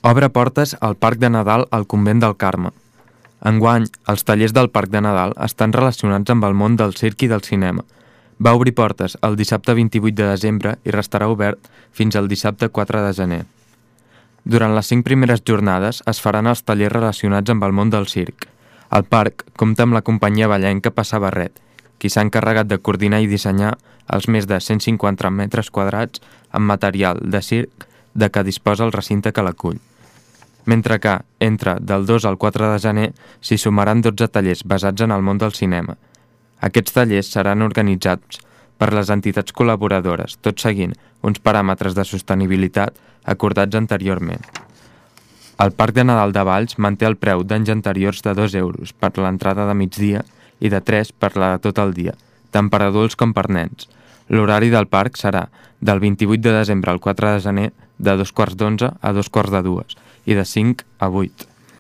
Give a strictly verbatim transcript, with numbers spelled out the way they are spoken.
Obre portes al Parc de Nadal al Convent del Carme. Enguany, els tallers del Parc de Nadal estan relacionats amb el món del circ i del cinema. Va obrir portes el dissabte vint-i-vuit de desembre i restarà obert fins al dissabte quatre de gener. Durant les cinc primeres jornades es faran els tallers relacionats amb el món del circ. El parc compta amb la companyia ballenca Passar Barret, qui s'ha encarregat de coordinar i dissenyar els més de cent cinquanta metres quadrats amb material de circ de què disposa el recinte que l'acull. Mentre que, entre del dos al quatre de gener, s'hi sumaran dotze tallers basats en el món del cinema. Aquests tallers seran organitzats per les entitats col·laboradores, tot seguint uns paràmetres de sostenibilitat acordats anteriorment. El Parc de Nadal de Valls manté el preu d'anys anteriors de dos euros per l'entrada de migdia i de tres per la de tot el dia, tant per adults com per nens. L'horari del parc serà del vint-i-vuit de desembre al quatre de gener de dos quarts d'onze a dos quarts de dues i de cinc a vuit.